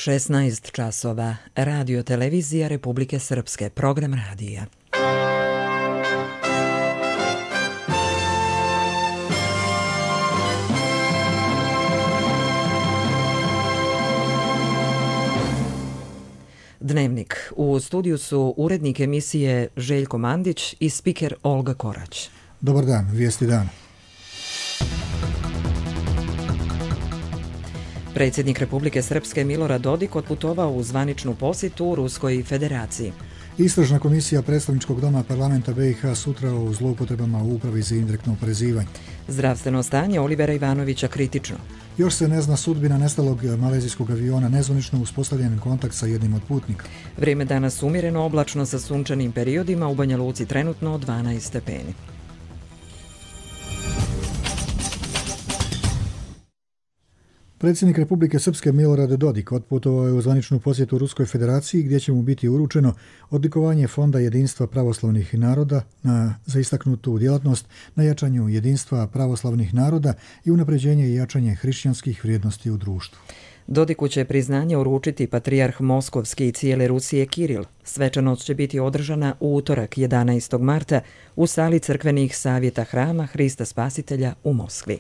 16 časova. Radio televizija Republike Srpske. Program radija. Dnevnik. U studiju su urednik emisije Željko Mandić i spiker Olga Korać. Dobar dan, vijesti dana. Predsjednik Republike Srpske Milorad Dodik otputovao u zvaničnu posjetu Ruskoj federaciji. Istražna komisija predstavničkog doma parlamenta BiH sutra o zloupotrebama u upravi za indirektno oporezivanje. Zdravstveno stanje Olivera Ivanovića kritično. Još se ne zna sudbina nestalog malezijskog aviona, nezvanično uspostavljen kontakt sa jednim od putnika. Vrijeme danas umjereno, oblačno sa sunčanim periodima, u Banja Luci trenutno 12 stepeni. Predsjednik Republike Srpske Milorad Dodik otputovao je u zvaničnu posjetu Ruskoj federaciji gdje će mu biti uručeno odlikovanje Fonda jedinstva pravoslavnih naroda za istaknutu djelatnost na jačanju jedinstva pravoslavnih naroda i unapređenje i jačanje hrišćanskih vrijednosti u društvu. Dodiku će priznanje uručiti patrijarh Moskovski i cijele Rusije Kiril. Svečanost će biti održana u utorak 11. marta u sali crkvenih savjeta Hrama Hrista Spasitelja u Moskvi.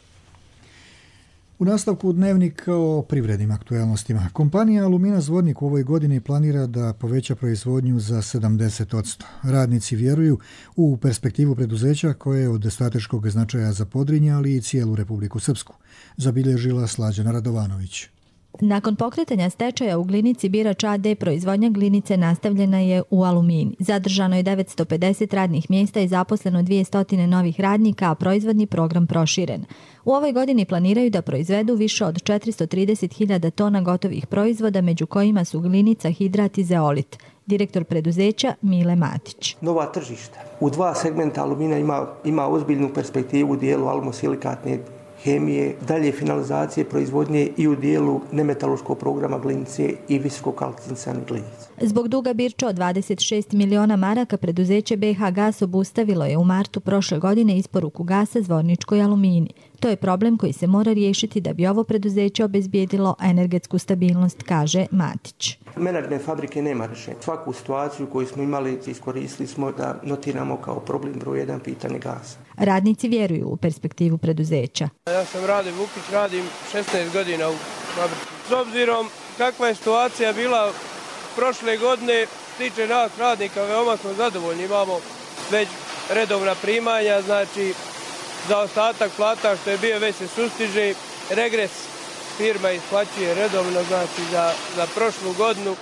U nastavku dnevnika o privrednim aktualnostima. Kompanija Alumina Zvornik u ovoj godini planira da poveća proizvodnju za 70%. Radnici vjeruju u perspektivu preduzeća koje je od strateškog značaja za Podrinje, ali i cijelu Republiku Srpsku, zabilježila Slađana Radovanović. Nakon pokretanja stečaja u Glinici Birač AD proizvodnja glinice nastavljena je u Alumini. Zadržano je 950 radnih mjesta i zaposleno 200 novih radnika, a proizvodni program proširen. U ovoj godini planiraju da proizvedu više od 430.000 tona gotovih proizvoda, među kojima su glinica, hidrat i zeolit. Direktor preduzeća Mile Matić. Nova tržišta. U dva segmenta Alumina ima ozbiljnu perspektivu u dijelu alumosilikatne hemije, dalje finalizacije proizvodnje i u dijelu nemetaloškog programa glinice i visokokalciniciranih glinica. Zbog duga Birča od 26 miliona maraka preduzeće BH Gas obustavilo je u martu prošle godine isporuku gasa Zvorničkoj Alumini. To je problem koji se mora riješiti da bi ovo preduzeće obezbijedilo energetsku stabilnost, kaže Matić. Menadžment fabrike nema rješenja. Svaku situaciju koju smo imali iskoristili smo da notiramo kao problem broj 1 pitanje gasa. Radnici vjeruju u perspektivu preduzeća. Ja sam Rade Vukić, radim 16 godina u fabrici. S obzirom kakva je situacija bila prošle godine, tiče nas radnika, veoma smo zadovoljni. Imamo već redovna primanja, znači za ostatak plata što je bio već se sustiže. Regres firma isplaćuje redovno, znači za prošlu godinu.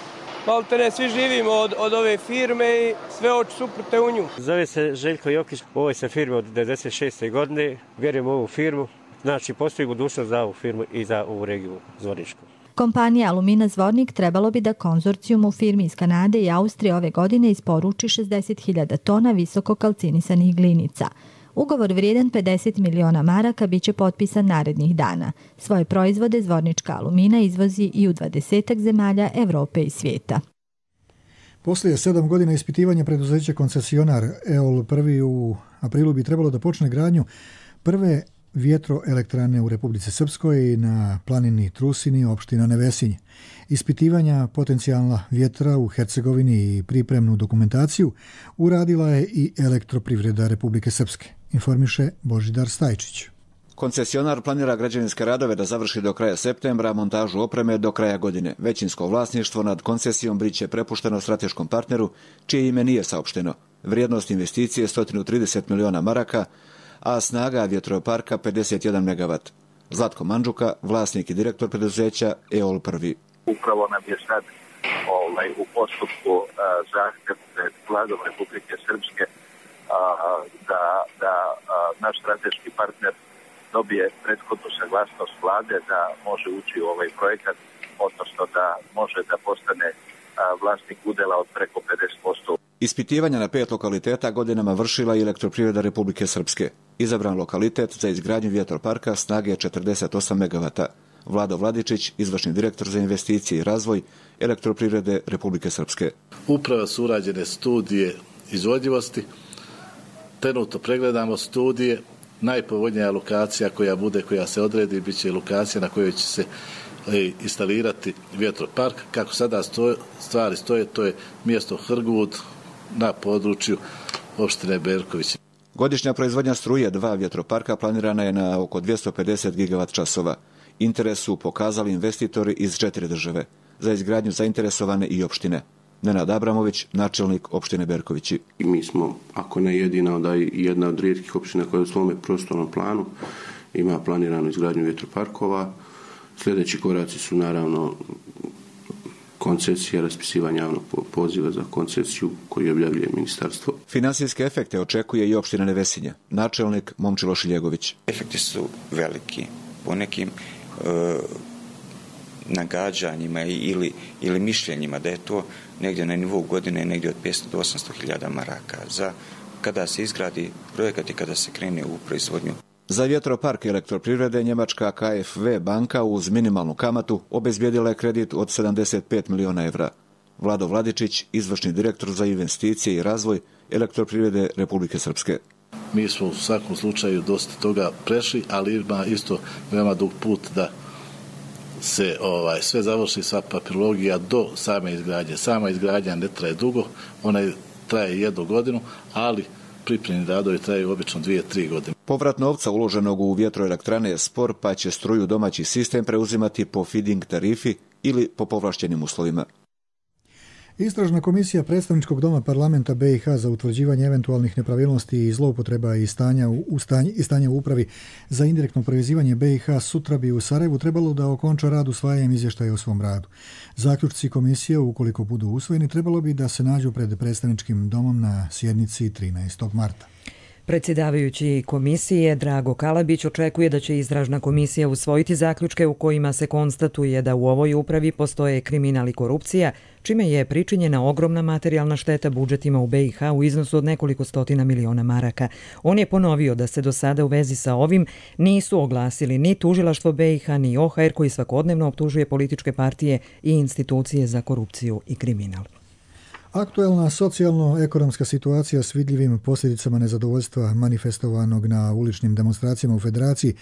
Maltene svi živimo od ove firme i sve oči su uprte u nju. Zove se Željko Jokić, u ovoj se firmi od 96. godine, vjerujem u ovu firmu, znači postoji budućnost za ovu firmu i za ovu regiju Zvorničku. Kompanija Alumina Zvornik trebalo bi da konzorcijum u firmi iz Kanade i Austrije ove godine isporuči 60.000 tona visoko kalcinisanih glinica. Ugovor vrijedan 50 miliona maraka biće potpisan narednih dana. Svoje proizvode Zvornička Alumina izvozi i u 20 zemalja Evrope i svijeta. Poslije 7 godina ispitivanja preduzeća koncesionar EOL prvi u aprilu bi trebalo da počne gradnju prve vjetroelektrane u Republici Srpskoj na planini Trusini, opština Nevesinje. Ispitivanja potencijalna vjetra u Hercegovini i pripremnu dokumentaciju uradila je i Elektroprivreda Republike Srpske, informiše Božidar Stajčić. Koncesionar planira građevinske radove da završi do kraja septembra, montažu opreme do kraja godine. Većinsko vlasništvo nad koncesijom biće prepušteno strateškom partneru, čije ime nije saopšteno. Vrijednost investicije je 130 miliona maraka, a snaga vjetroparka 51 MW. Zlatko Mandžuka, vlasnik i direktor preduzeća EOL prvi. Upravo nam je sad u postupku zahtjev pred vladom Republike Srpske da naš strateški partner dobije prethodnu saglasnost vlade da može ući u ovaj projekat, odnosno da može da postane vlasnik udjela od preko 50%. Ispitivanja na 5 lokaliteta godinama vršila i Elektroprivreda Republike Srpske. Izabran lokalitet za izgradnju vjetroparka snage 48 MW. Vlado Vladičić, izvršni direktor za investicije i razvoj Elektroprivrede Republike Srpske. Upravo su urađene studije izvodljivosti. Trenutno pregledamo studije. Najpovoljnija lokacija koja se odredi bit će lokacija na kojoj će se instalirati vjetropark. Kako sada stvari stoje, to je mjesto Hrgud na području opštine Berković. Godišnja proizvodnja struje 2 vjetroparka planirana je na oko 250 gigavat-časova. Interes su pokazali investitori iz 4 države. Za izgradnju zainteresovane i opštine. Nenad Abramović, načelnik opštine Berkovići. Mi smo, ako ne jedina, onda i jedna od rijetkih opština koja u svome prostornom planu ima planiranu izgradnju vjetroparkova. Sljedeći koraci su naravno koncesija, raspisivanje javnog poziva za koncesiju koji objavljuje ministarstvo. Finansijske efekte očekuje i opština Nevesinje. Načelnik Momčilo Šiljegović. Efekti su veliki. Po nekim nagađanjima ili mišljenjima da je to negdje na nivou godine negdje od 500 do 800 hiljada maraka za kada se izgradi projekat i kada se krene u proizvodnju. Za vjetropark elektroprivrede njemačka KfW banka uz minimalnu kamatu obezbijedila je kredit od 75 miliona evra. Vlado Vladičić, izvršni direktor za investicije i razvoj elektroprivrede Republike Srpske. Mi smo u svakom slučaju dosta toga prešli, ali ima isto veoma dug put da se sve završi, sva papirologija do same izgradnje. Sama izgradnja ne traje dugo, ona traje 1 godinu, ali pripremni radovi traju obično 2-3 godine. Povrat novca uloženog u vjetroelektrane je spor, pa će struju domaći sistem preuzimati po feed-in tarifi ili po povlaštenim uslovima. Istražna komisija Predstavničkog doma parlamenta BiH za utvrđivanje eventualnih nepravilnosti i zloupotreba i stanja u upravi za indirektno povezivanje BiH sutra bi u Sarajevu trebalo da okonča rad usvajanjem izvještaja o svom radu. Zaključci komisije, ukoliko budu usvojeni, trebalo bi da se nađu pred Predstavničkim domom na sjednici 13. marta. Predsjedavajući komisije Drago Kalabić očekuje da će istražna komisija usvojiti zaključke u kojima se konstatuje da u ovoj upravi postoje kriminal i korupcija, čime je pričinjena ogromna materijalna šteta budžetima u BiH u iznosu od nekoliko stotina miliona maraka. On je ponovio da se do sada u vezi sa ovim nisu oglasili ni tužilaštvo BiH ni OHR koji svakodnevno optužuje političke partije i institucije za korupciju i kriminal. Aktuelna socijalno-ekonomska situacija s vidljivim posljedicama nezadovoljstva manifestovanog na uličnim demonstracijama u Federaciji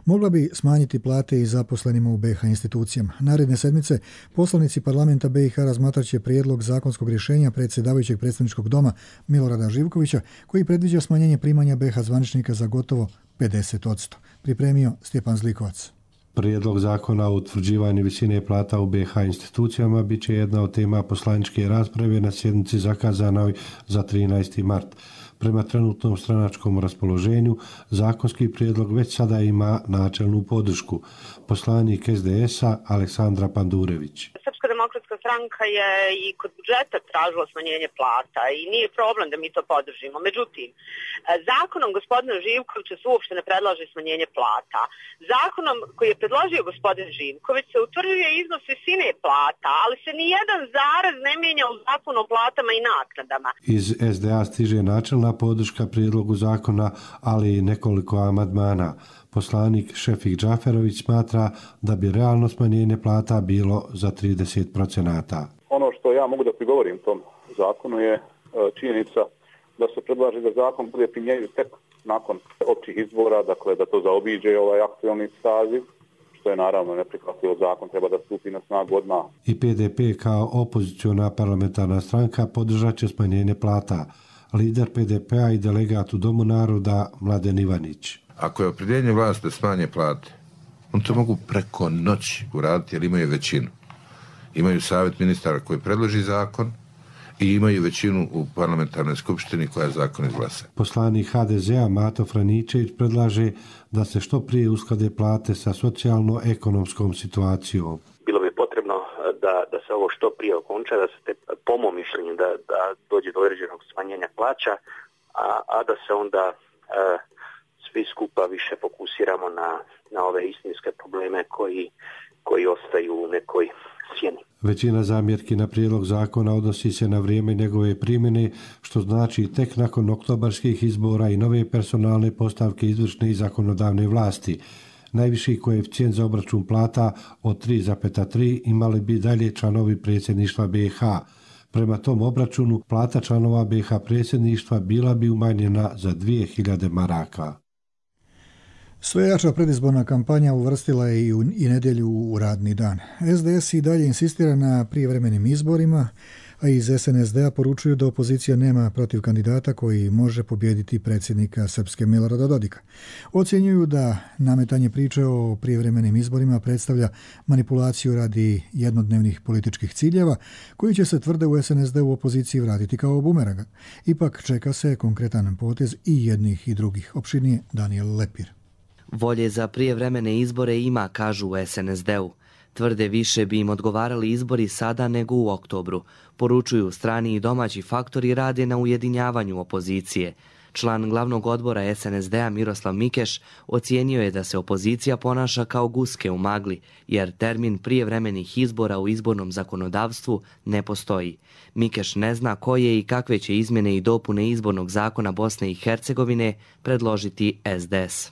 mogla bi smanjiti plate i zaposlenima u BiH institucijama. Naredne sedmice poslanici parlamenta BiH razmatrat će prijedlog zakonskog rješenja predsjedavajućeg Predstavničkog doma Milorada Živkovića koji predviđa smanjenje primanja BiH zvaničnika za gotovo 50%. Pripremio Stjepan Zlikovac. Prijedlog zakona o utvrđivanju visine plata u BiH institucijama bit će jedna od tema poslaničke rasprave na sjednici zakazanoj za 13. mart. Prema trenutnom stranačkom raspoloženju, zakonski prijedlog već sada ima načelnu podršku. Poslanik SDS-a Aleksandra Pandurević. Srpska demokratska stranka je i kod budžeta tražila smanjenje plata i nije problem da mi to podržimo. Međutim, zakonom gospodina Živkovića se uopšte ne predlaže smanjenje plata. Zakonom koji je predložio gospodin Živković se utvrđuje iznos visine plata, ali se ni jedan zarez ne mijenja u zakonu o platama i naknadama. Iz SDA stiže načelna podrška prijedlogu zakona, ali i nekoliko amandmana. Poslanik Šefik Džaferović smatra da bi realno smanjenje plata bilo za 30%. Ono što ja mogu da prigovorim tom zakonu je činjenica da se predlaže da zakon bude primjenjiv tek nakon općih izbora, dakle da to zaobiđe ovaj aktualni saziv, što je naravno neprihvatljivo. Zakon treba da stupi na snagu odmah. I PDP kao opoziciona parlamentarna stranka podržat će smanjenje plata. Lider PDP-a i delegat u Domu naroda Mladen Ivanić. Ako je opredjeljenje vlasti da smanje plate, oni to mogu preko noći uraditi jer imaju većinu. Imaju savjet ministara koji predloži zakon i imaju većinu u parlamentarnoj skupštini koja zakon izglasa. Poslanik HDZ-a Mato Franičević predlaže da se što prije usklade plate sa socijalno-ekonomskom situacijom. Bilo bi potrebno da se ovo što prije okonča, da se po mom mišljenju da dođe do određenog smanjenja plaća, a da se onda svi skupa više fokusiramo na ove istinske probleme koji ostaju u nekoj sjeni. Većina zamjerki na prijedlog zakona odnosi se na vrijeme njegove primjene, što znači tek nakon oktobarskih izbora i nove personalne postavke izvršne i zakonodavne vlasti. Najviši koeficijent za obračun plata od 3,3 imali bi dalje članovi predsjedništva BiH. Prema tom obračunu plata članova BiH predsjedništva bila bi umanjena za 2000 maraka. Sve jača predizborna kampanja uvrstila je i nedjelju u radni dan. SDS i dalje insistira na prijevremenim izborima, a iz SNSD-a poručuju da opozicija nema protiv kandidata koji može pobijediti predsjednika Srpske Milorada Dodika. Ocjenjuju da nametanje priče o prijevremenim izborima predstavlja manipulaciju radi jednodnevnih političkih ciljeva, koji će se, tvrde u SNSD u opoziciji, vratiti kao bumeranga. Ipak čeka se konkretan potez i jednih i drugih. Opširnije Daniel Lepir. Volje za prijevremene izbore ima, kažu u SNSD-u. Tvrde više bi im odgovarali izbori sada nego u oktobru. Poručuju strani i domaći faktori rade na ujedinjavanju opozicije. Član glavnog odbora SNSD-a Miroslav Mikeš ocijenio je da se opozicija ponaša kao guske u magli, jer termin prijevremenih izbora u izbornom zakonodavstvu ne postoji. Mikeš ne zna koje i kakve će izmjene i dopune izbornog zakona Bosne i Hercegovine predložiti SDS.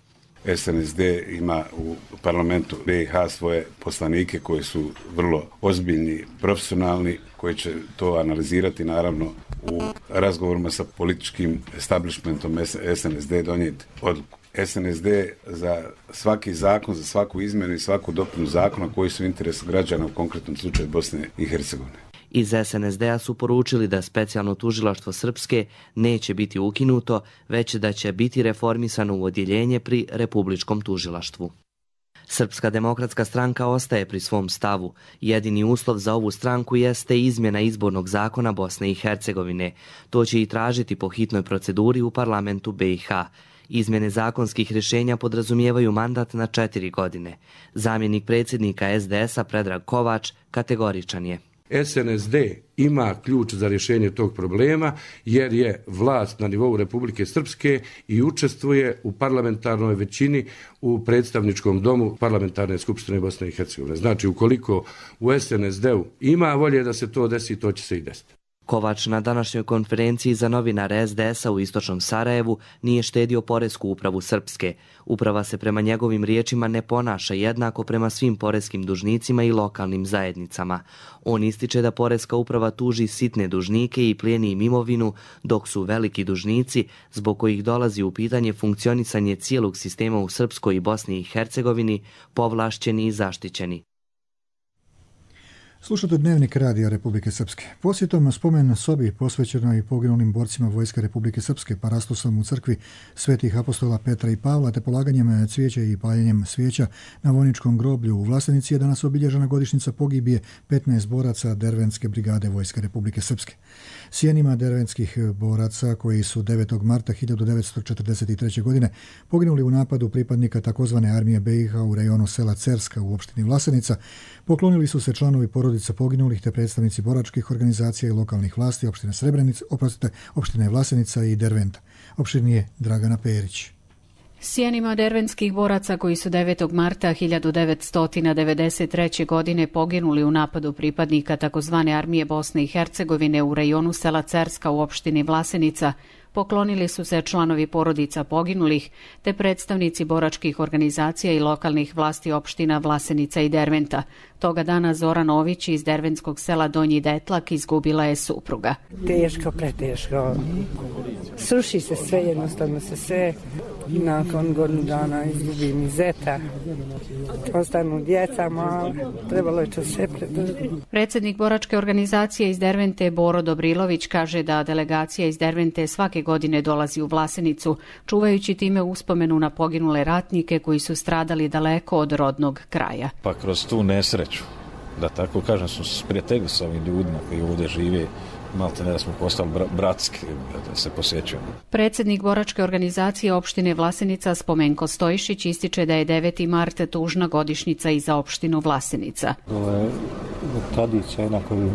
SNSD ima u parlamentu BiH svoje poslanike koji su vrlo ozbiljni, profesionalni, koji će to analizirati naravno u razgovorima sa političkim establishmentom SNSD donijeti odluku. SNSD za svaki zakon, za svaku izmjenu i svaku dopunu zakona koji su u interesu građana, u konkretnom slučaju Bosne i Hercegovine. Iz SNSD-a su poručili da specijalno tužilaštvo Srpske neće biti ukinuto, već da će biti reformisano u odjeljenje pri Republičkom tužilaštvu. Srpska demokratska stranka ostaje pri svom stavu. Jedini uslov za ovu stranku jeste izmjena izbornog zakona Bosne i Hercegovine. To će i tražiti po hitnoj proceduri u parlamentu BiH. Izmjene zakonskih rješenja podrazumijevaju mandat na 4 godine. Zamjenik predsjednika SDS-a Predrag Kovač kategoričan je. SNSD ima ključ za rješenje tog problema jer je vlast na nivou Republike Srpske i učestvuje u parlamentarnoj većini u predstavničkom domu parlamentarne skupštine Bosne i Hercegovine. Znači, ukoliko u SNSD-u ima volje da se to desi, to će se i desiti. Kovač na današnjoj konferenciji za novinare SDS-a u istočnom Sarajevu nije štedio poresku upravu Srpske. Uprava se prema njegovim riječima ne ponaša jednako prema svim poreskim dužnicima i lokalnim zajednicama. On ističe da poreska uprava tuži sitne dužnike i plijeni im imovinu, dok su veliki dužnici, zbog kojih dolazi u pitanje funkcionisanje cijelog sistema u Srpskoj i Bosni i Hercegovini, povlašćeni i zaštićeni. Slušate Dnevnik Radija Republike Srpske. Posjetom spomen sobi posvećenoj poginulim borcima Vojske Republike Srpske parastosom u crkvi Svetih apostola Petra i Pavla te polaganjem cvijeća i paljenjem svijeća na vojničkom groblju u Vlasenici je danas obilježena godišnjica pogibije 15 boraca Dervenske brigade Vojske Republike Srpske. Sjenima dervenskih boraca koji su 9. marta 1943. godine poginuli u napadu pripadnika takozvane armije BiH u rejonu sela Cerska u opštini Vlasenica, poklonili su se članovi porodica poginulih te predstavnici boračkih organizacija i lokalnih vlasti opštine Vlasenica i Derventa. Opširnije Dragana Perić. Sjenima dervenskih boraca koji su 9. marta 1993. godine poginuli u napadu pripadnika takozvane armije Bosne i Hercegovine u rejonu sela Cerska u opštini Vlasenica, poklonili su se članovi porodica poginulih te predstavnici boračkih organizacija i lokalnih vlasti opština Vlasenica i Derventa. Toga dana Zora Nović iz dervenskog sela Donji Detlak izgubila je supruga. Teško, preteško. Sruši se sve, jednostavno se sve. Nakon godinu dana izgubim i zeta. Ostanu djeca mala, trebalo je to sve predržiti. Predsjednik boračke organizacije iz Dervente Boro Dobrilović kaže da delegacija iz Dervente svake godine dolazi u Vlasenicu, čuvajući time uspomenu na poginule ratnike koji su stradali daleko od rodnog kraja. Pa kroz tu nesreću, da tako kažem, smo se sprijateljili sa ovim ljudima koji ovdje žive, malte ne da smo postali bratski, da se posjećujemo. Predsjednik boračke organizacije opštine Vlasenica Spomenko Stojišić ističe da je 9. mart tužna godišnjica i za opštinu Vlasenica. Ovo je tradicija na koju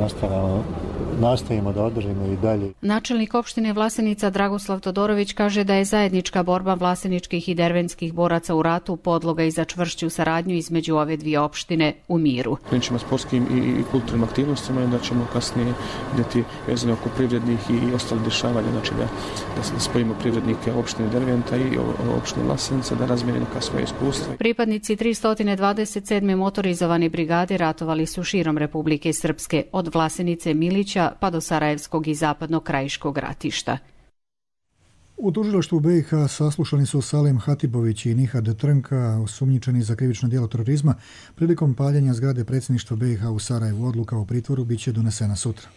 nastavimo da održimo i dalje. Načelnik opštine Vlasenica Dragoslav Todorović kaže da je zajednička borba vlaseničkih i dervenskih boraca u ratu podloga i za čvršću saradnju između ove dvije opštine u miru. Krenut sportskim i kulturnim aktivnostima i da ćemo kasnije vidjeti vezane oko privrednih i ostalih dešavanja, znači da spojimo privrednike opštine Derventa i opštine Vlasenica, da razmijenimo neka svoje iskustva. Pripadnici 327. motorizovane brigade ratovali su širom Republike Srpske, od Vlasenice Milića pa do Sarajevskog i zapadnog krajiškog ratišta. U tužilaštvu BiH saslušani su Salem Hatibović i Nihad Trnka, osumnjičeni za krivično djelo terorizma, prilikom paljenja zgrade predsjedništva BiH u Sarajevu. Odluka o pritvoru biće donesena sutra.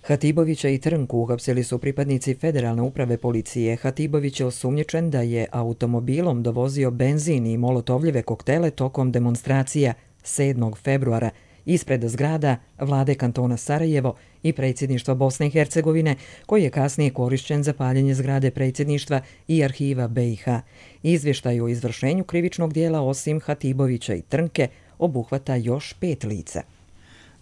Hatibovića i Trnku uhapsili su pripadnici Federalne uprave policije. Hatibović je osumnjičen da je automobilom dovozio benzin i molotovljive koktele tokom demonstracija 7. februara ispred zgrada vlade kantona Sarajevo i predsjedništva Bosne i Hercegovine, koji je kasnije korišćen za paljenje zgrade predsjedništva i arhiva BiH. Izvještaj o izvršenju krivičnog dijela osim Hatibovića i Trnke obuhvata još 5 lica.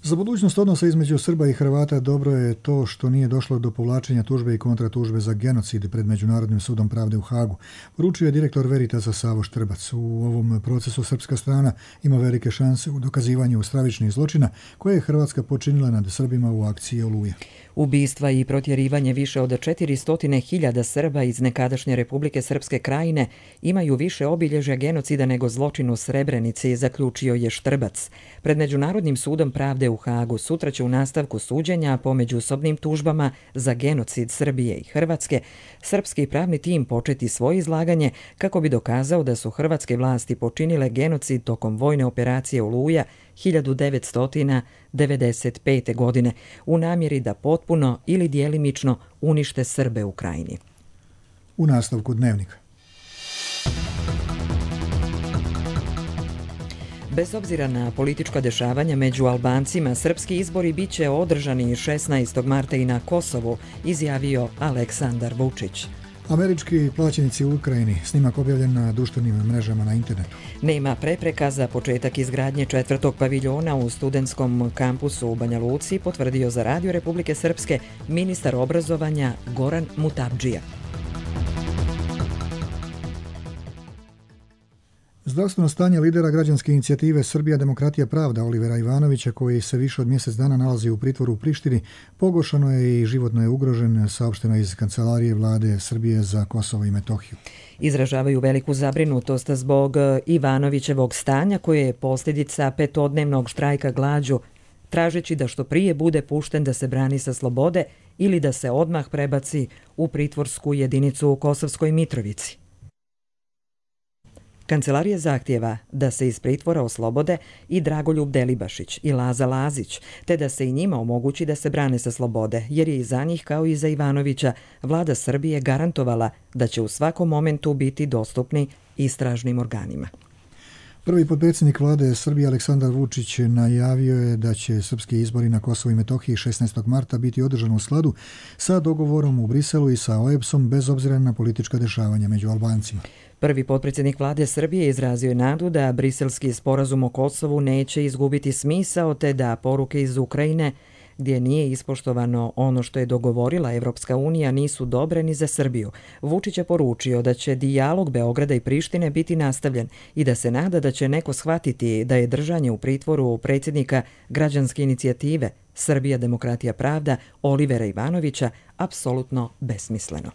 Za budućnost odnosa između Srba i Hrvata dobro je to što nije došlo do povlačenja tužbe i kontratužbe za genocid pred Međunarodnim sudom pravde u Hagu, poručio je direktor Veritasa Savo Štrbac. U ovom procesu srpska strana ima velike šanse u dokazivanju stravičnih zločina koje je Hrvatska počinila nad Srbima u akciji Oluje. Ubistva i protjerivanje više od 400.000 Srba iz nekadašnje Republike Srpske Krajine imaju više obilježja genocida nego zločin u Srebrenici, zaključio je Štrbac. Pred Međunarodnim sudom pravde u Hagu sutra će u nastavku suđenja po međusobnim tužbama za genocid Srbije i Hrvatske srpski pravni tim početi svoje izlaganje kako bi dokazao da su hrvatske vlasti počinile genocid tokom vojne operacije Oluja 1995. godine u namjeri da potpuno ili djelimično unište Srbe u Krajini. U nastavku dnevnika. Bez obzira na politička dešavanja među Albancima, srpski izbori bit će održani 16. marta i na Kosovu, izjavio Aleksandar Vučić. Američki plaćenici u Ukrajini, snimak objavljen na društvenim mrežama na internetu. Nema prepreka za početak izgradnje 4. paviljona u studentskom kampusu u Banja Luci, potvrdio za Radio Republike Srpske ministar obrazovanja Goran Mutabdžija. Zdravstveno stanje lidera građanske inicijative Srbija demokratija pravda Olivera Ivanovića, koji se više od mjesec dana nalazi u pritvoru u Prištini, pogoršano je i životno je ugrožen, saopšteno iz kancelarije vlade Srbije za Kosovo i Metohiju. Izražavaju veliku zabrinutost zbog Ivanovićevog stanja koje je posljedica 5-dnevnog štrajka glađu, tražeći da što prije bude pušten da se brani sa slobode ili da se odmah prebaci u pritvorsku jedinicu u Kosovskoj Mitrovici. Kancelarija zahtjeva da se iz pritvora oslobode i Dragoljub Delibašić i Laza Lazić, te da se i njima omogući da se brane sa slobode, jer je i za njih kao i za Ivanovića vlada Srbije garantovala da će u svakom momentu biti dostupni istražnim organima. Prvi potpredsjednik vlade Srbije Aleksandar Vučić najavio je da će srpski izbori na Kosovu i Metohiji 16. marta biti održani u skladu sa dogovorom u Briselu i sa OEBS-om bez obzira na politička dešavanja među Albancima. Prvi potpredsjednik vlade Srbije izrazio je nadu da briselski sporazum o Kosovu neće izgubiti smisao, te da poruke iz Ukrajine, gdje nije ispoštovano ono što je dogovorila Evropska unija, nisu dobre ni za Srbiju. Vučić je poručio da će dijalog Beograda i Prištine biti nastavljen i da se nada da će neko shvatiti da je držanje u pritvoru predsjednika građanske inicijative Srbija demokratija pravda Olivera Ivanovića apsolutno besmisleno.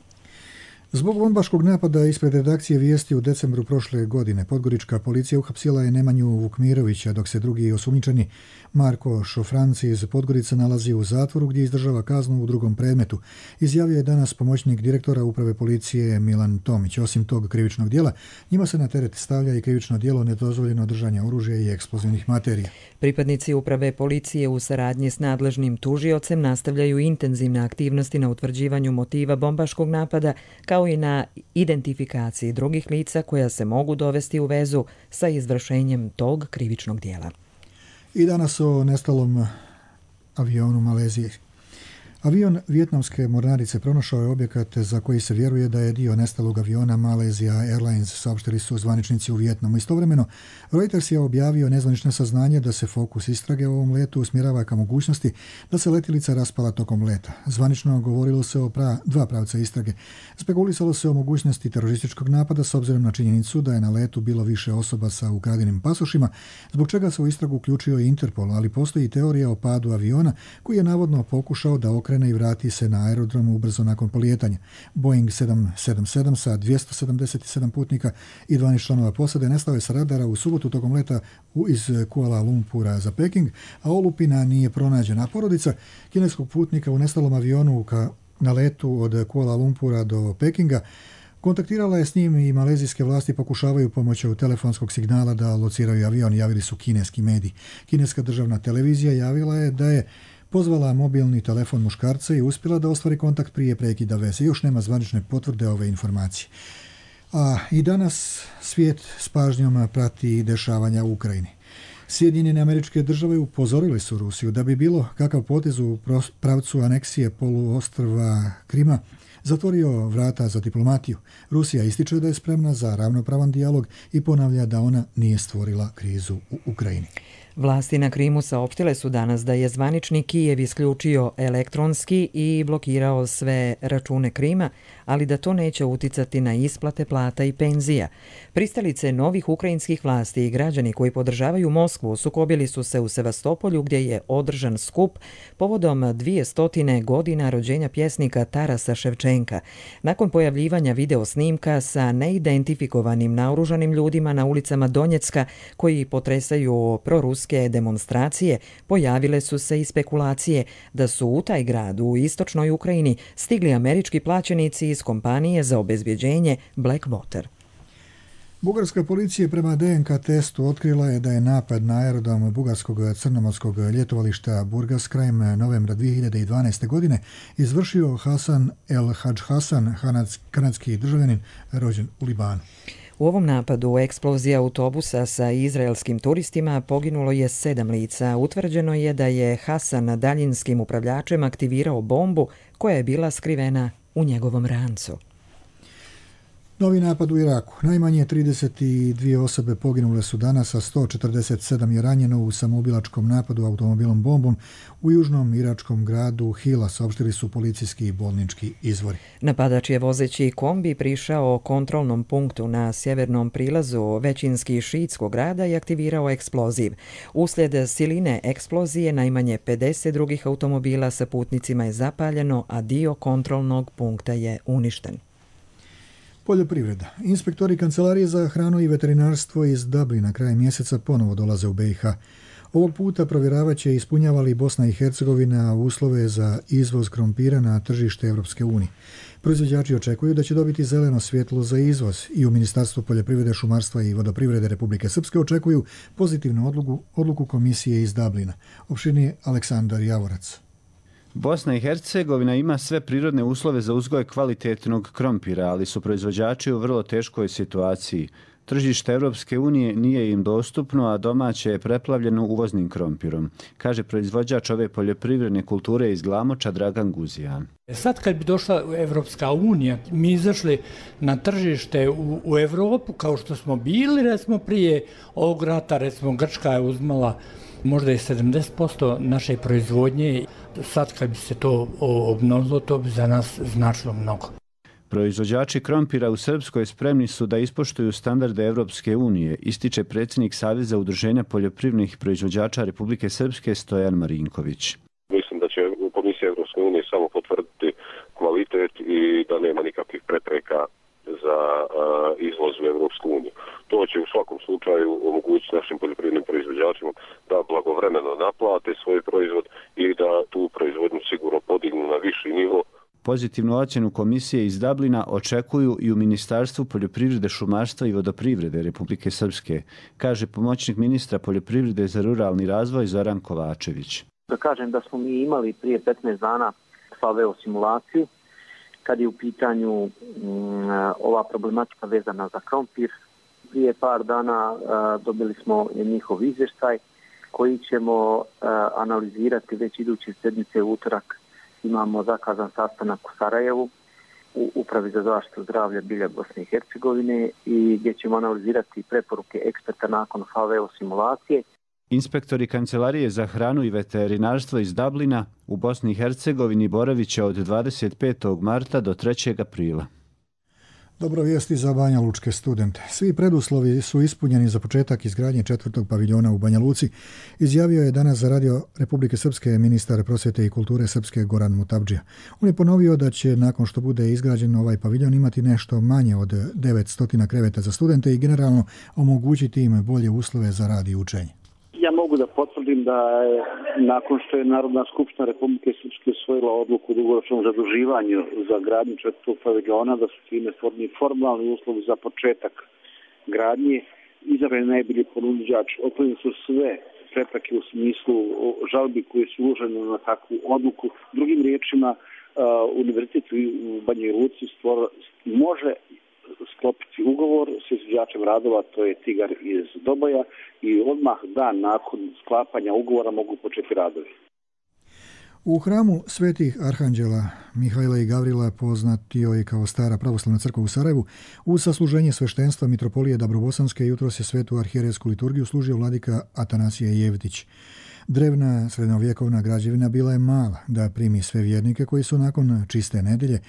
Zbog bombaškog napada ispred redakcije Vijesti u decembru prošle godine, podgorička policija uhapsila je Nemanju Vukmirovića, dok se drugi osumnjičeni Marko Šofranci iz Podgorica nalazi u zatvoru gdje izdržava kaznu u drugom predmetu. Izjavio je danas pomoćnik direktora uprave policije Milan Tomić. Osim tog krivičnog djela, njima se na teret stavlja i krivično djelo nedozvoljeno držanje oružja i eksplozivnih materija. Pripadnici uprave policije u saradnji s nadležnim tužiocem nastavljaju intenzivne aktivnosti na utvrđivanju motiva bombaškog napada, kao i na identifikaciji drugih lica koja se mogu dovesti u vezu sa izvršenjem tog krivičnog djela. I danas o nestalom avionu Malezije. Avion vijetnamske mornarice pronašao je objekat za koji se vjeruje da je dio nestalog aviona Malaysia Airlines, saopštili su zvaničnici u Vijetnamu. Istovremeno, Reuters je objavio nezvanično saznanje da se fokus istrage o ovom letu usmjerava ka mogućnosti da se letjelica raspala tokom leta. Zvanično govorilo se o dva pravca istrage. Spekulisalo se o mogućnosti terorističkog napada s obzirom na činjenicu da je na letu bilo više osoba sa ukradenim pasošima, zbog čega se u istragu uključio i Interpol, ali postoji teorija o padu aviona koji je navodno pokušao da okrene i vrati se na aerodromu ubrzo nakon polijetanja. Boeing 777 sa 277 putnika i 12 članova posade nestao je sa radara u subotu tokom leta iz Kuala Lumpura za Peking, a olupina nije pronađena. Porodica kineskog putnika u nestalom avionu na letu od Kuala Lumpura do Pekinga. Kontaktirala je s njim i malezijske vlasti pokušavaju pomoću telefonskog signala da lociraju avion, javili su kineski mediji. Kineska državna televizija javila je da je pozvala mobilni telefon muškarca i uspjela da ostvari kontakt prije prekida veze. Još nema zvanične potvrde ove informacije. A i danas svijet s pažnjom prati dešavanja u Ukrajini. Sjedinjene Američke Države upozorile su Rusiju da bi bilo kakav potez u pravcu aneksije poluostrva Krima zatvorio vrata za diplomatiju. Rusija ističe da je spremna za ravnopravan dijalog i ponavlja da ona nije stvorila krizu u Ukrajini. Vlasti na Krimu saopštile su danas da je zvanični Kijev isključio elektronski i blokirao sve račune Krima, ali da to neće uticati na isplate plata i penzija. Pristalice novih ukrajinskih vlasti i građani koji podržavaju Moskvu sukobili su se u Sevastopolju gdje je održan skup povodom 200 godina rođenja pjesnika Tarasa Ševčenka. Nakon pojavljivanja video snimka sa neidentifikovanim naoružanim ljudima na ulicama Donjecka koji potresaju proruske demonstracije, pojavile su se i spekulacije da su u taj grad u istočnoj Ukrajini stigli američki plaćenici iz kompanije za obezbjeđenje Blackwater. Bugarska policija prema DNK testu otkrila je da je napad na aerodrom bugarskog crnomorskog ljetovališta Burgas krajem novembra 2012. godine izvršio Hasan El Hadž Hasan, kanadski državljanin rođen u Libanu. U ovom napadu eksplozija autobusa sa izraelskim turistima poginulo je 7 lica. Utvrđeno je da je Hasan daljinskim upravljačem aktivirao bombu koja je bila skrivena u njegovom rancu. Novi napad u Iraku. Najmanje 32 osobe poginule su danas, a 147 je ranjeno u samoubilačkom napadu automobilom bombom u južnom iračkom gradu Hila, saopštili su policijski i bolnički izvori. Napadač je vozeći kombi prišao kontrolnom punktu na sjevernom prilazu većinski šiitskog grada i aktivirao eksploziv. Uslijed siline eksplozije najmanje 50 drugih automobila sa putnicima je zapaljeno, a dio kontrolnog punkta je uništen. Poljoprivreda. Inspektori Kancelarije za hranu i veterinarstvo iz Dublina krajem mjeseca ponovo dolaze u BiH. Ovog puta provjeravat će ispunjava li Bosna i Hercegovina uslove za izvoz krompira na tržište Europske unije. Proizvođači očekuju da će dobiti zeleno svjetlo za izvoz i u Ministarstvu poljoprivrede, šumarstva i vodoprivrede Republike Srpske očekuju pozitivnu odluku komisije iz Dublina. Opširnije Aleksandar Javorac. Bosna i Hercegovina ima sve prirodne uslove za uzgoj kvalitetnog krompira, ali su proizvođači u vrlo teškoj situaciji. Tržište Europske unije nije im dostupno, a domaće je preplavljeno uvoznim krompirom, kaže proizvođač ove poljoprivredne kulture iz Glamoča Dragan Guzijan. Sad kad bi došla Evropska unija, mi izašli na tržište u Evropu kao što smo bili, recimo prije ovog rata, recimo Grčka je uzmala možda i 70% naše proizvodnje. Sad kad bi se to obnovilo, to bi za nas značilo mnogo. Proizvođači krompira u Srpskoj spremni su da ispoštuju standarde Evropske unije, ističe predsjednik Saveza udruženja poljoprivrednih proizvođača Republike Srpske Stojan Marinković. Mislim da će Komisija Evropske unije samo potvrditi kvalitet i da nema nikakvih prepreka za izvoz u Evropsku uniju. To će u svakom slučaju omogućiti našim poljoprivrednim proizvođačima da blagovremeno naplate svoj proizvod i da tu proizvodnju sigurno podignu na viši nivo. Pozitivnu ocjenu komisije iz Dublina očekuju i u Ministarstvu poljoprivrede, šumarstva i vodoprivrede Republike Srpske, kaže pomoćnik ministra poljoprivrede za ruralni razvoj Zoran Kovačević. Da kažem da smo mi imali prije 15 dana FAVEO simulaciju kad je u pitanju ova problematika vezana za krompir. Prije par dana dobili smo njihov izvještaj koji ćemo analizirati već iduće sedmice u utorak. Imamo zakazan sastanak u Sarajevu u Upravi za zaštitu zdravlja bilja Bosne i Hercegovine i gdje ćemo analizirati preporuke eksperta nakon FAVEO simulacije. Inspektori Kancelarije za hranu i veterinarstvo iz Dublina u Bosni i Hercegovini boravit će od 25. marta do 3. aprila. Dobro vijesti za Banja Lučke studente. Svi preduslovi su ispunjeni za početak izgradnje 4. paviljona u Banja Luci, izjavio je danas za Radio Republike Srpske ministar prosvjete i kulture Srpske Goran Mutabdžija. On je ponovio da će nakon što bude izgrađen ovaj paviljon imati nešto manje od 900 kreveta za studente i generalno omogućiti im bolje uslove za rad i učenje. Ja mogu mogu da potvrdim da je, nakon što je Narodna skupština Republike Srpske usvojila odluku o dugoročnom zaduživanju za gradnju četvrtog paviljona, da su time stvoreni formalni uslovi za početak gradnje, izabran najbolji ponuđač, otklonjene su sve prepreke u smislu žalbi koje su uložene na takvu odluku. Drugim riječima, Univerzitet u Banjoj Luci može sklopiti ugovor s izvođačem radova, to je Tigar iz Doboja, i odmah dan nakon sklapanja ugovora mogu početi radovi. U hramu svetih arhanđela Mihajla i Gavrila, poznatio je kao Stara pravoslavna crkva u Sarajevu, uz sasluženje sveštenstva mitropolije Dabrobosanske jutros je svetu arhijerejsku liturgiju služio vladika Atanasije Jevtić. Drevna srednjovjekovna građevina bila je mala da primi sve vjernike koji su nakon čiste nedelje,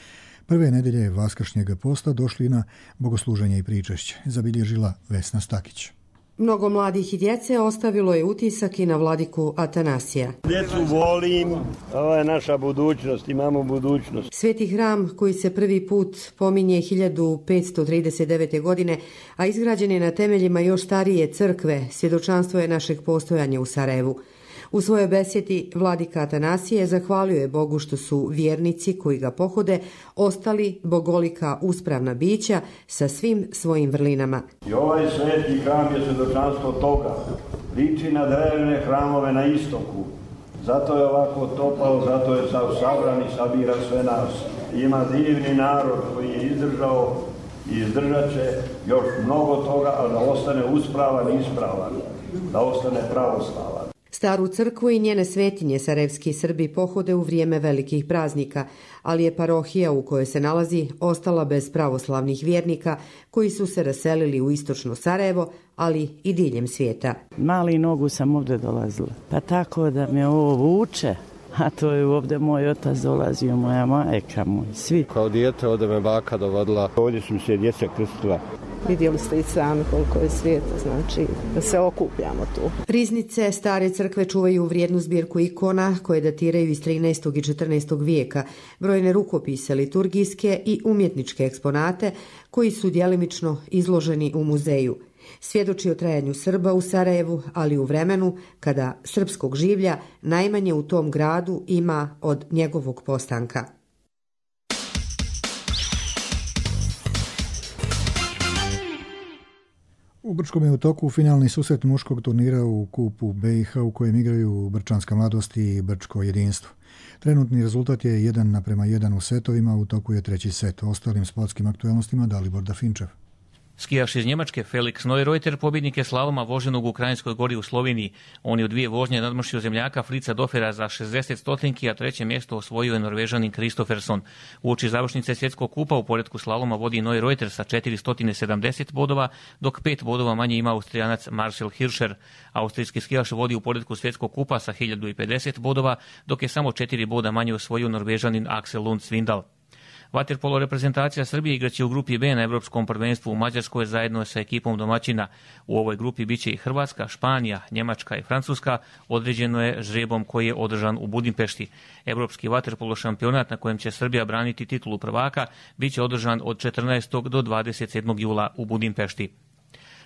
prve nedelje vaskršnjeg posta, došli na bogosluženje i pričešće, zabilježila Vesna Stakić. Mnogo mladih i djece ostavilo je utisak i na vladiku Atanasija. Djecu volim, ovo je naša budućnost, imamo budućnost. Sveti hram koji se prvi put pominje 1539. godine, a izgrađen je na temeljima još starije crkve, svjedočanstvo je našeg postojanja u Sarajevu. U svojoj besjedi vladika Atanasije zahvalio je Bogu što su vjernici koji ga pohode ostali bogolika uspravna bića sa svim svojim vrlinama. I ovaj sveti hram je svjedočanstvo toga. Liči na drevne hramove na istoku. Zato je ovako topao, zato je sabran i sabira sve nas. Ima divni narod koji je izdržao i izdržat će još mnogo toga, ali da ostane uspravan i ispravan, da ostane pravoslavan. Staru crkvu i njene svetinje sarajevski Srbi pohode u vrijeme velikih praznika, ali je parohija u kojoj se nalazi ostala bez pravoslavnih vjernika koji su se raselili u istočno Sarajevo, ali i diljem svijeta. Mali nogu sam ovdje dolazila, pa tako da me ovo vuče, a to je ovdje moj otac dolazio, moja majka, moj, svi. Kao dijete ovdje me baka dovodila, ovdje su se djeca krstila. Vidjeli ste i sami koliko je svijeta, znači da se okupljamo tu. Riznice stare crkve čuvaju vrijednu zbirku ikona koje datiraju iz 13. i 14. vijeka, brojne rukopise, liturgijske i umjetničke eksponate koji su djelimično izloženi u muzeju. Svjedoči o trajanju Srba u Sarajevu, ali u vremenu kada srpskog življa najmanje u tom gradu ima od njegovog postanka. U Brčkom je u toku finalni susret muškog turnira u kupu BiH u kojem igraju Brčanska mladost i Brčko jedinstvo. Trenutni rezultat je 1:1 u setovima, u toku je treći set. O ostalim sportskim aktualnostima Dalibor Dafinčev. Skijaš iz Njemačke Felix Neureuter pobjednik je slaloma voženog u Krajinskoj gori u Sloveniji. On je u 2 vožnje nadmašio zemljaka Fritza Dofera za 60 stotinki, a treće mjesto osvojio je Norvežanin Kristofferson. Uoči završnice svjetskog kupa u poretku slaloma vodi Neureuter sa 470 bodova, dok 5 bodova manje ima Austrijanac Marcel Hirscher. Austrijski skijaš vodi u poretku svjetskog kupa sa 1050 bodova, dok je samo 4 boda manje osvojio Norvežanin Axel Lund Svindal. Vaterpolo reprezentacija Srbije igraće u grupi B na Evropskom prvenstvu u Mađarskoj zajedno sa ekipom domaćina. U ovoj grupi biće i Hrvatska, Španija, Njemačka i Francuska. Određeno je žrebom koji je održan u Budimpešti. Evropski vaterpolo šampionat na kojem će Srbija braniti titulu prvaka biće održan od 14. do 27. jula u Budimpešti.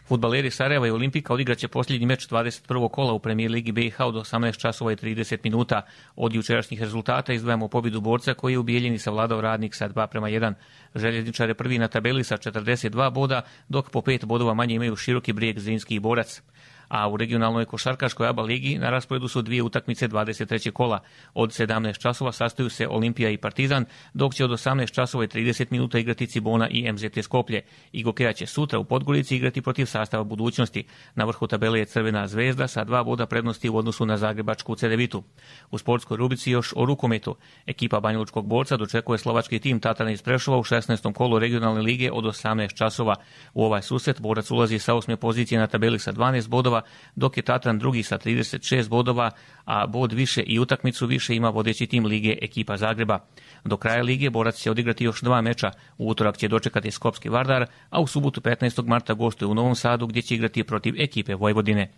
Fudbaleri Sarajeva i Olimpika odigraće posljednji meč 21. kola u premijer ligi BiH od 18 časova i 30 minuta. Od jučerašnjih rezultata izdvajamo pobjedu Borca koji je u Bijeljini savladao Radnik sa 2:1. Željezničar je prvi na tabeli sa 42 boda, dok po 5 bodova manje imaju Široki Brijeg, Zrinski i Borac. A u regionalnoj košarkaškoj ABA ligi na rasporedu su 2 utakmice 23. kola. Od 17 časova sastaju se Olimpija i Partizan, dok će od 18 časova i 30 minuta igrati Cibona i MZT Skoplje. Igokeja će sutra u Podgorici igrati protiv sastava Budućnosti. Na vrhu tabele je Crvena zvezda sa 2 boda prednosti u odnosu na zagrebačku Cedevitu. U sportskoj rubrici još o rukometu. Ekipa Banjalučkog Borca dočekuje slovački tim Tatran iz Prešova u 16. kolu regionalne lige od 18 časova. U ovaj susret Borac ulazi sa 8. pozicije na tabeli sa 12 bodova, dok je Tatran drugi sa 36 bodova, a bod više i utakmicu više ima vodeći tim lige ekipa Zagreba. Do kraja lige Borac će odigrati još 2 meča. U utorak će dočekati Skopski Vardar, a u subotu 15. marta gostuje u Novom Sadu gdje će igrati protiv ekipe Vojvodine.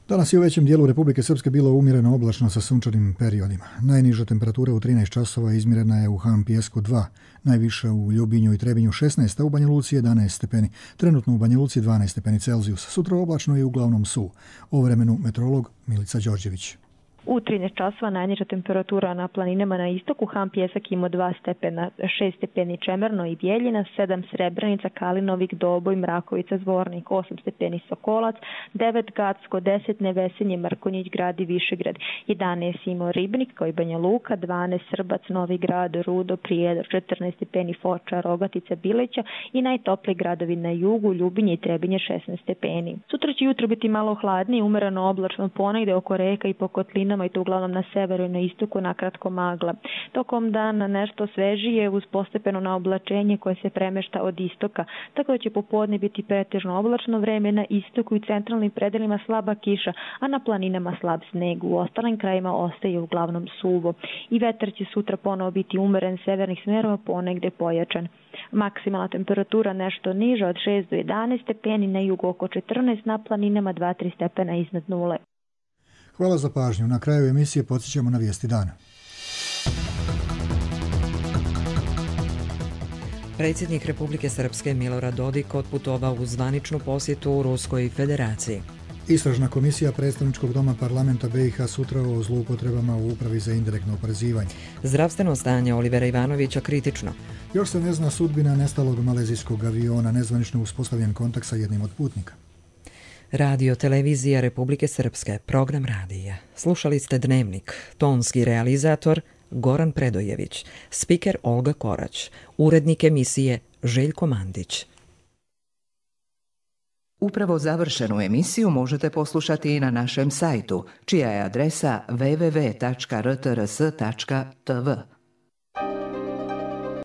Danas je u većem dijelu Republike Srpske bilo umjereno oblačno sa sunčanim periodima. Najniža temperatura u 13 časova izmjerena je u Han Pijesku 2, najviša u Ljubinju i Trebinju 16, a u Banja Luci 11 stepeni. Trenutno u Banja Luci 12 stepeni Celzijusa. Sutra oblačno i uglavnom suvo. O vremenu meteorolog Milica Đorđević. U 13 časova najniža temperatura na planinama na istoku, Han Pijesak ima 2 stepena, 6 stepeni Čemerno i Bjeljina, 7 Srebrenica, Kalinovik, Doboj, Mrakovica, Zvornik, 8 stepeni Sokolac, 9 Gacko, 10 Nevesenje, Mrkonjić, Grad i Višegrad, 11 Imo Ribnik, kao i Banja Luka, 12 Srbac, Novi Grad, Rudo, Prijedor, 14 stepeni Foča, Rogatica, Bileća i najtopliji gradovi na jugu, Ljubinje i Trebinje 16 stepeni. Sutra će jutro biti malo hladnije, umereno oblačno ponegde oko reka i po kotlinama i to uglavnom na severu i na istoku nakratko magla. Tokom dana nešto svežije uz postepeno naoblačenje koje se premešta od istoka, tako da će popodne biti pretežno oblačno vreme na istoku i centralnim predelima slaba kiša, a na planinama slab sneg. U ostalim krajima ostaje uglavnom suvo. I vetar će sutra ponovo biti umeren severnih smerova, ponegde pojačan. Maksimalna temperatura nešto niža od 6 do 11 stepeni, na jugu oko 14, na planinama 2-3 stepena iznad nule. Hvala za pažnju. Na kraju emisije podsjećamo na vijesti dana. Predsjednik Republike Srpske Milorad Dodik otputovao u zvaničnu posjetu u Ruskoj federaciji. Istražna komisija predstavničkog doma parlamenta BiH sutra o zloupotrebama u upravi za indirektno oporezivanje. Zdravstveno stanje Olivera Ivanovića kritično. Još se ne zna sudbina nestalog malezijskog aviona, nezvanično uspostavljen kontakt sa jednim od putnika. Radio televizija Republike Srpske, program radija. Slušali ste Dnevnik, tonski realizator Goran Predojević, spiker Olga Korać, urednik emisije Željko Mandić. Upravo završenu emisiju možete poslušati i na našem sajtu, čija je adresa www.rtrs.tv.